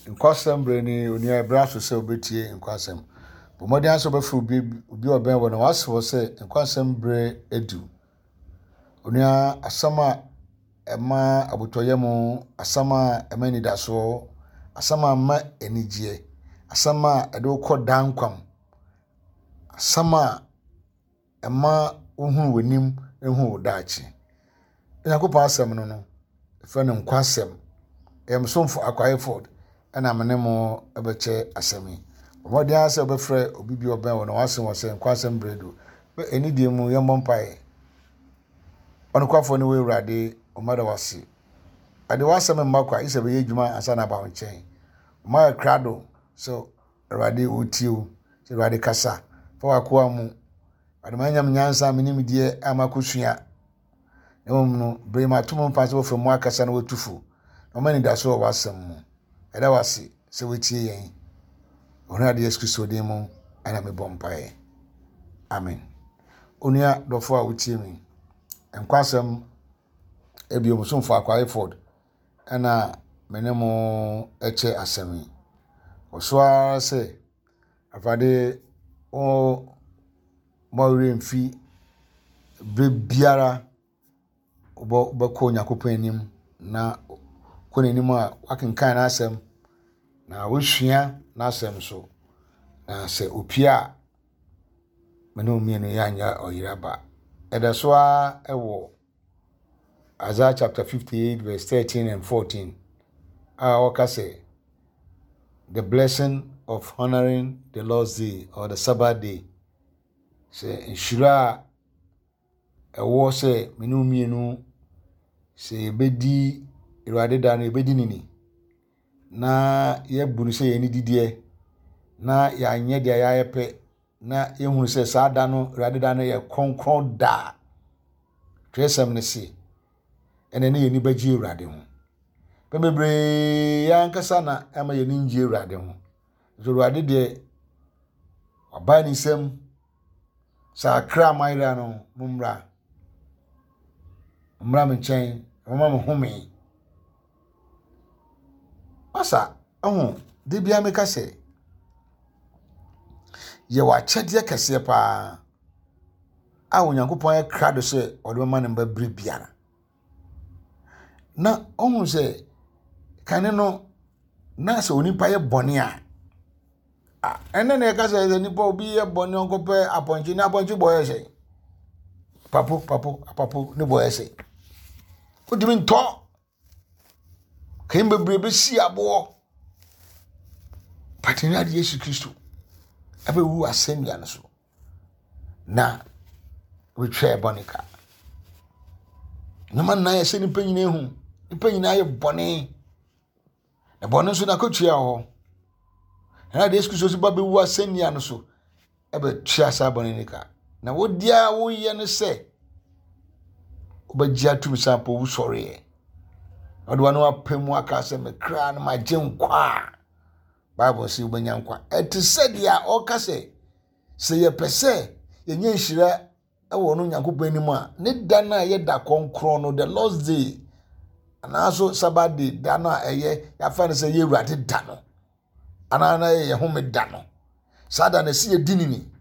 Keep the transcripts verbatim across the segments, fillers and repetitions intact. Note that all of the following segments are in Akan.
Nkwasɛm berɛ ni, onua ɛberɛ aso sɛ wobɛtie nkwasɛm. Bɔ mmɔden ara sɛ wobɛfrɛ obi obi a ɔbɛn wo na wase wɔ sɛ nkwasɛm berɛ adu. Onua, asɛm a ɛma abotɔyam, asɛm a ɛma anidasoɔ, asɛm a ɛma anigyeɛ, asɛm a ɛde wo kɔ daa nkwa mu, asɛm a ɛma wohunu w'anim hu wo daakye. Onyankopɔn asɛm no no, yɛfrɛ no nkwasɛm. Ɛyɛ me somfo Akwa Hayford ɛna me ne mo bɛkyɛ asɛm yi. Bɔ mmɔden ara sɛ wobɛfrɛ obi bi a ɔbɛn wo na wase wɔ sɛ nkwasɛm berɛ adu. Ɛni deɛ mu yɛmmɔ mpaeɛ. Ɔnokwafoɔ ne wo Awurade, ɔma da wase. Ɛde w'asɛm mma kwa, gye sɛ bɛyɛ adwuma ansa na aba wo nkyɛn. Ɔma yɛ krado sɛ Awurade ɔtie wo, sɛ Awurade kasa fa w'akoa mu. Awurade ma nyam nyansa me nimdeɛ a makɔsua. Na mmom no, bere mato mo mpa sɛ wɔfrɛ mu akasa na wɔatu fo. Na ɔma anidaso wɔ w'asɛm mu. Ɛda w'ase sɛ woatie yɛn. Ɔhene Yesu Kristo din mu ɛna mebɔ mpaeɛ. Amen. Onua dɔfo a wotie mi, nkwasɛm ebio somfo Akwa Hayford ɛna me ne mo ɛkyɛ asɛm yi. Ɔso ara sɛ Awurade wo ma werɛ mfi berɛ biara wobɛkɔ Onyankopɔn anim na kɔ n'anim a wakenkan n'asɛm na wosua n'asɛm so. Na sɛ opie a, me ne wo mmienu yɛanyɛ ɔyere ba. Ɛda so ara ɛwɔ Isaiah chapter fifty-eight verse thirteen and fourteen a ɔka sɛ the blessing of honoring the Lord's day or the Sabbath day. Sɛ nhyira a ɛwɔ sɛ me ne wo mmienu sɛ yɛbɛdi Awurade da no, yɛbɛdi ne ni na yɛabu no sɛ yɛn didiɛ na yɛanyɛ deɛ yɛayɛ pɛ na yɛhunu sɛ saa da no, Awurade da no yɛ kronkron da. Twerɛsɛm no se ɛnɛ ne yɛn ani bɛgye Awurade ho. Pɛ bebree yɛn ankasa na ɛma yɛn ani ngye Awurade ho. Nso Awurade deɛ wabae ne nsam sɛ akra a moayera no, mommra. Mommra me nkyɛn, momma me home. Masa, ɛho, de bia meka sɛ, yɛwɔ akyɛdeɛ kɛseɛ paa a Onyankopɔn ayɛ krado sɛ ɔde bɛma ne mba bere biara. Na ɔhu sɛ kane no, na sɛ onipa yɛ bɔne a, ɛnɛ na yɛka sɛ sɛ nipa obi yɛ bɔne ɔnkɔpɛ apɔnkye, na apɔnkye bɔ yɛ sɛ papo papo apapo ne bɔ yɛ sɛ wotumi ntɔ kɛn bebree bɛsi aboɔ. But Awurade Yesu Kristo ɛbɛwu asɛnnua no so na wɔtwa bɔne ka. Nneɛma nnan yɛ sɛ nipa nyinaa hu, nipa nyinaa yɛ bɔne. Na bɔne nso n'akatua wɔ hɔ. Awurade Yesu Kristo nso ba bɛwu asɛnnua no so ɛbɛtua saa bɔne no ka. Na wo deɛ a woyɛ no sɛ wobɛgye atum sɛ ampa owu sɔreɛ. Ɔde w'ano apɛ mu aka sɛ me kra no magye nkwa a, Bible sɛ wobɛnya nkwa. Ɛte sɛ deɛ ɔka sɛ sɛ yɛpɛ sɛ yɛnya nhyira ɛwɔ no Onyankopɔn anim a, ne da no a ɛyɛ da kronkron no, the Lord's day, anaaso Sabbath day, da no a ɛyɛ yɛafa no sɛ yɛ Awurade da no, anaa na ɛyɛ home da no. Saa da no ɛsɛ yɛdi ne ni.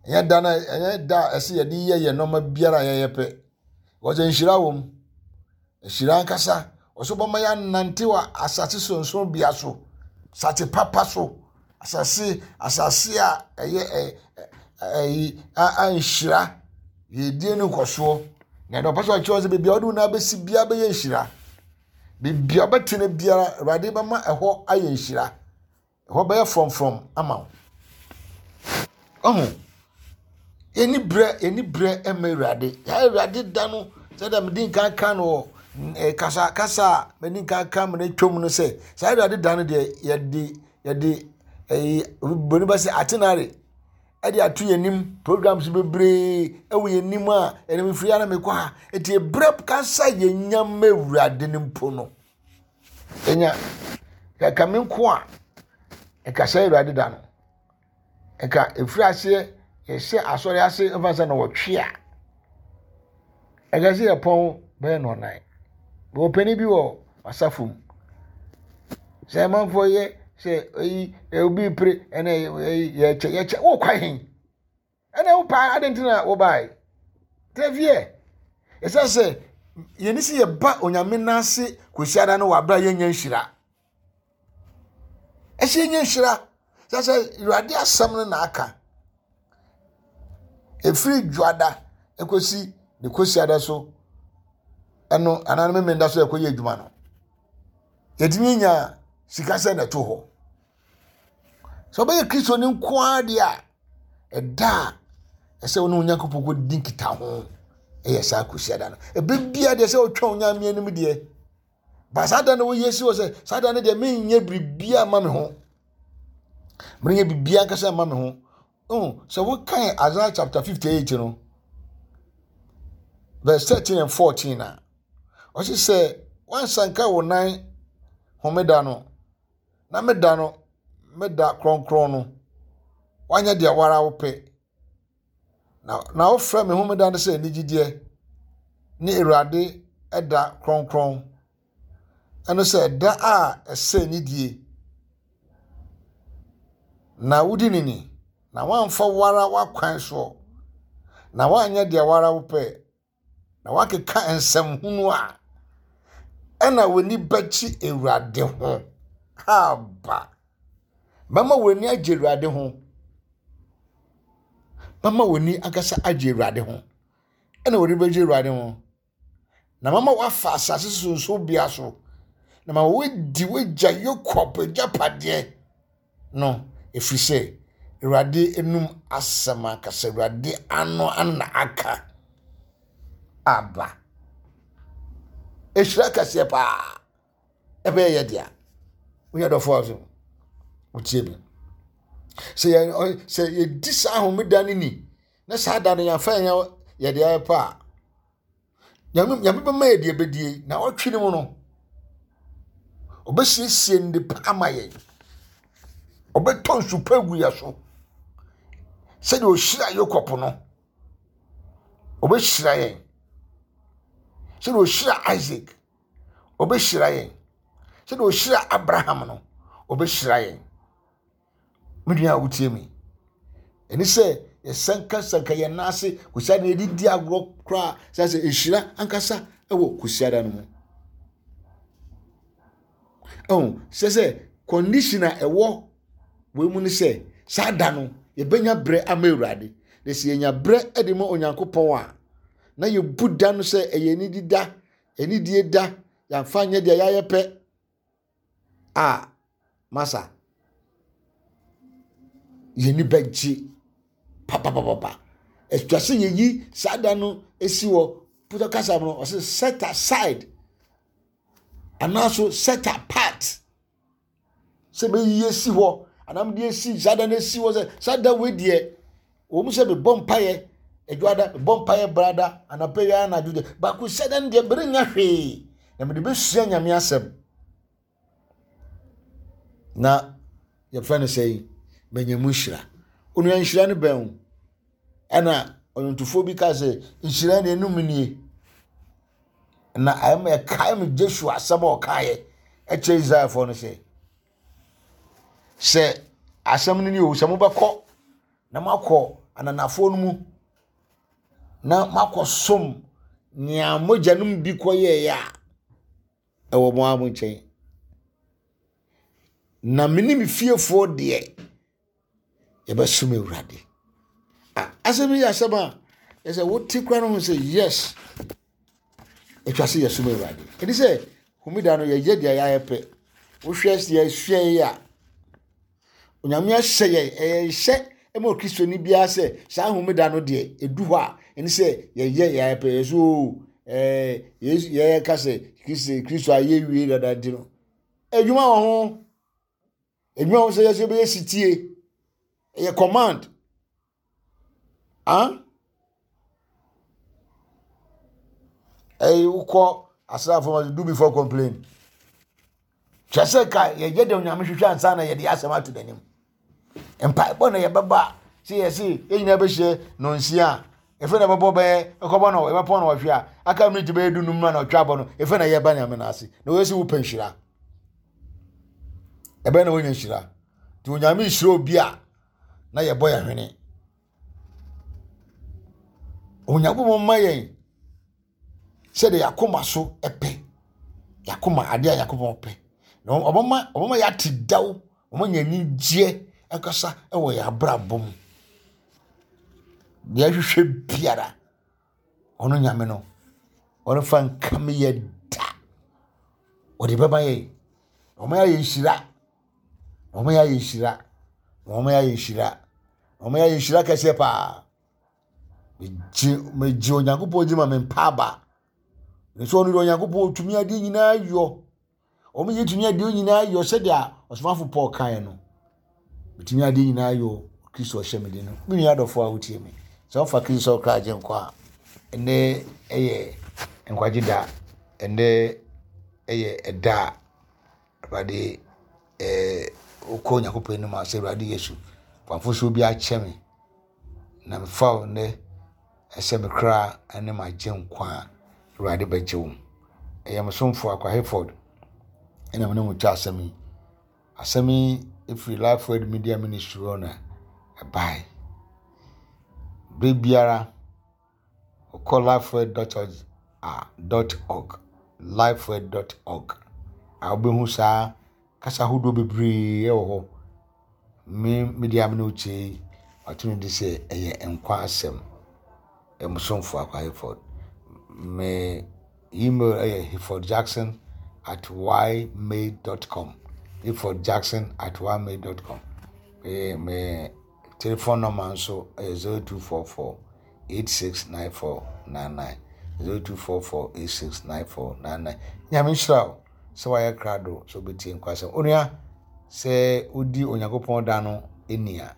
Ɛnyɛ da no, ɛnyɛ da a ɛsɛ yɛde yɛ yɛn nneɛma biara a yɛyɛ pɛ. Wɔsɛ nhyira wɔ mu. Nhyira ankasa, ɔso bɛma yɛanante wɔ asase sonson bea so, asase papa so, asase asase a ɛyɛ ɛ ɛyi a a nhyira yɛdie no nkɔsoɔ. Na ɛdɛ ɔpɛ sɛ ɔkyerɛ sɛ beebi a ɔde wo nan bɛsi biara bɛyɛ nhyira. Beebi a ɔbɛtena biara, Awurade bɛma ɛhɔ ayɛ nhyira. Ɛhɔ bɛyɛ frɔmfrɔm ama wo. Ɔho, yɛni berɛ yɛni berɛ ɛma Awurade. Yɛn Awurade da no sɛdeɛ mede nkan ka no wɔ kasa kasa a mede nkan ka mo no atwam no sɛ saa Awurade da no deɛ yɛde yɛde ɛyi boni bɛ sɛ atenare ɛde ato yɛn anim, programs bebree ɛwɔ yɛn anim a ɛnam firi ara mekɔ ha. Eti ebrɛ kasa yɛn nya ma Awurade no mpo no enya kaka me nko a ɛkasa Awurade da no ɛka efiri aseɛ yɛhyɛ asɔre ase mfa sɛ na wɔtwe a ɛka sɛ yɛpɔn bɛyɛ nɔnan. Wɔ panin bi wɔ asafo mu. Sɛ amanfoɔ yɛ sɛ eyi obi pere ɛna eyi yɛkyɛ yɛkyɛ wokɔ hen ɛna wopaa adi nti na wobae tena fie. Ɛsɛ sɛ yɛne sɛ yɛba Onyame n'ase Kwasiada no wɔ abere a yɛnya nhyira. Ɛsɛ yɛnya nhyira. Sɛ sɛ Awurade asɛm no na aka. Ɛfiri Dwoada ɛkɔsi ne Kwasiada so ɛno anaa ne Memenda so ɛkɔyɛ adwuma no. Yɛtumi nya sika sɛ na ɛto hɔ. Sɛ ɔbɛyɛ Kristo ne nko ara deɛ a, ɛda a ɛsɛ wo ne Onyankopɔn kɔdi nkitaho ɛyɛ saa Kwasiada no. Ɛbɛ bia deɛ sɛ wotwa Onyame anim deɛ, ba saa da no woyɛ si wɔ sɛ saa da no deɛ menyɛ biribiara mma me ho. Menyɛ biribiara ankasa mma me ho. Oh, sɛ wokan Isaiah chapter fifty-eight no, verse thirteen and fourteen a, ɔse sɛ wansanka wo nan homeda no, na meda no, meda kronkron no, wanyɛ deɛ wara wopɛ. Na, na wofrɛ me homeda no sɛ anigyedeɛ ne Awurade ɛda kronkron. Ɛno sɛ ɛda a ɛsɛ anidie. Na wodi ne ni, na woamfa wara w'akwan soɔ, na woanyɛ deɛ wara wopɛ, na woakeka nsɛm hunu a, ɛna w'ani bɛkye Awurade ho. Aba. Mɛma w'ani agye Awurade ho. Mɛma w'ani ankasa agye Awurade ho. Ɛna w'ani bɛgye Awurade ho. Na mama woafa asase so nso so. Na ma woadi w'agya Yakob agyapadeɛ no, ɛfiri sɛ Awurade enum asɛm ankasa, Awurade ano ana aka aba. Ehyira kɛseɛ paa. Ɛbɛyɛ yɛ dea. Woyɛ dɔfo a so wotie me. Sɛ yɛ sɛ yɛdi saa homeda no ni, na saa da no yɛmfa yɛn yɛde ayɛ pa a, Nyame Nyame bɛma yɛ deɛ bɛdie na ɔtwe ne mu no, ɔbɛsiesie nnepa ama yɛn. Ɔbɛtɔ nsu pa agu yɛ so. Sɛdeɛ ɔhyira Yakob no, ɔbɛhyira yɛn. Sɛdeɛ ɔhyira Isaac, ɔbɛhyira yɛn. Sɛdeɛ ɔhyira Abraham no, ɔbɛhyira yɛn. Me nua a wotie me, ɛne sɛ yɛsankasanka yɛn nan ase Kwasiada no yɛde di agorɔ koraa sɛ sɛ ɛhyira ankasa ɛwɔ Kwasiada no mu. Ɛho sɛ sɛ condition a ɛwɔ wei mu ne sɛ saa da no yɛbɛnya berɛ ama Awurade. Na sɛ yɛnya berɛ de ma Onyankopɔn a, na yɛbu da no sɛ ɛyɛ anidi da, anidie da, yɛamfa nyɛ deɛ yɛayɛ pɛ a, masa yɛni bɛgye papapapa. Atwa sɛ yɛyi saa da no esi hɔ. Putɔ kasa no ɔsɛ set aside anaaso set apart. Sɛ bɛyi esi hɔ anam de esi saa da no esi hɔ sɛ saa da wei deɛ wɔn sɛ bɛbɔ mpaeɛ adwada, bɛbɔ mpaeɛ brada anapɛ yi anadwo deɛ baako sɛ da no deɛ bere nya hwee na mede bɛsua Nyame asɛm. Na yɛfrɛ no sɛ manya mu nhyira. Onua nhyira no bɛn o. Ɛna ɔyɔntofoɔ bi ka sɛ nhyira no enum nie. Na ɛma ɛkae me Joshua asɛm a ɔkaeɛ ɛkyerɛ Israelfoɔ no sɛ sɛ asɛm no ni o, sɛ mobɛkɔ na moakɔ ananafoɔ no mu na moakɔsom nea mogyanom bi kɔyɛeɛ a ɛwɔ mo ara mo nkyɛn. Na me ne me fiefoɔ deɛ yɛbɛsom Awurade. Ah, asɛm yi yɛ asɛm a ɛsɛ wote koraa no ho sɛ yes, atwa sɛ yɛsom Awurade. Ɛne sɛ homeda no yɛyɛ deɛ yɛayɛ pɛ. Wohwɛ sɛ yɛsua yi a, Onyame ahyɛ yɛn, ɛyɛ nhyɛ ma Okristoni biara sɛ saa homeda no deɛ ɛdu hɔ a, ɛne sɛ yɛyɛ yɛayɛ pɛ. Yɛso o, ɛɛ, Yesu, yɛka sɛ Kristo, Kristo ayɛ wie dada nti no, adwuma wɔ ho. Adwuma wɔ sɛ yɛsɛ bɛyɛ sitie. Ɛyɛ command. Ah? Ɛyɛ wokɔ asraafoɔ ma do before complain. Kyerɛ sɛ ka yɛyɛ deɛ Onyame hwehwɛ ansa na yɛde asɛm ato n'anim. Mpaebɔ na yɛbɛba sɛ yɛse yɛn nyinaa bɛhyia nonsia a, efe na ɛbɛbɔ bɛyɛ ɛkɔbɔ no ɛbɛpɔn no wɔhwe a aka miniti bɛyɛ dunum na ɔtwa abɔ no efe na yɛba Nyame no ase na wɔyɛ sɛ wopɛ nhyira. Ɛbɛn na wonya nhyira. Nti Onyame nhyira obi a na yɛbɔ yɛn hwene. Onyankopɔn ma yɛn sɛdeɛ yɛakoma so pɛ. Yɛakoma adeɛ a Nyankopɔn pɛ. Na ɔbɛma ɔbɛma yɛate daw, ɔbɛma yɛn anigyeɛ ankasa wɔ yɛn abrabɔ mu. Deɛ ɛhwehwɛ biara, ɔno Nyame no, ɔrefa nkame yɛ da. Ɔde bɛma yɛn. Ɔma yɛayɛ nhyira. Ɔma yɛayɛ nhyira. Ɔma yɛayɛ nhyira. Ɔma yɛayɛ nhyira kɛseɛ paa. Megye megye Onyankopɔn di ma me mpa aba. Nso ɔno deɛ Onyankopɔn otumi adeɛ nyinaa yɔ. Wɔn yɛ tumi adeɛ nyinaa yɔ sɛdeɛ ɔsomafo Paul kaeɛ no. Metumi adeɛ nyinaa yɔ Kristo ɔhyɛ me den no. Me nua adɔfoɔ a wotie me. Sɛ wofa Kristo sɛ ɔkra agye nkwa a, ɛnnɛ ɛyɛ nkwagye da. Ɛnnɛ ɛyɛ ɛda a Awurade ɛɛ wokɔ Onyankopɔn anim a sɛ Awurade Yesu, fa mfomsoɔ bi akyɛ me na mefa wo nnɛ ɛsɛ me kra ne m'agye nkwa a Awurade bɛgye wo. Ɛyɛ me somfo Akwa Hayford ɛna me ne mo twa asɛm yi. Asɛm yi ɛfiri Life Word Media Ministry hɔ na ɛbae. Berɛ biara wokɔ lifeword dot org a dot org lifeword dot org a wobɛhu saa kasa ahodoɔ bebree wɔ hɔ. Me media me ne wo kyerɛ yi, wato no di sɛ ɛyɛ nkwa asɛm. Ɛyɛ mo somfo Akwa Hayford. Me email ɛyɛ hayfordjackson at ymail dot com. hayfordjackson at ymail dot com. Me me telephone number nso ɛyɛ zero two four four eight six nine four nine nine zero two four four eight six nine four nine nine. Nyame nhyira wo sɛ wayɛ krado sɛ wobɛtie nkwasɛm. Onua, sɛ wodi Onyankopɔn da no ani a,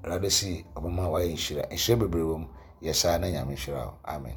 Awurade si ɔbɛma wayɛ nhyira. Nhyira bebree wɔ mu. Yɛ saa na Nyame nhyira wo. Amen.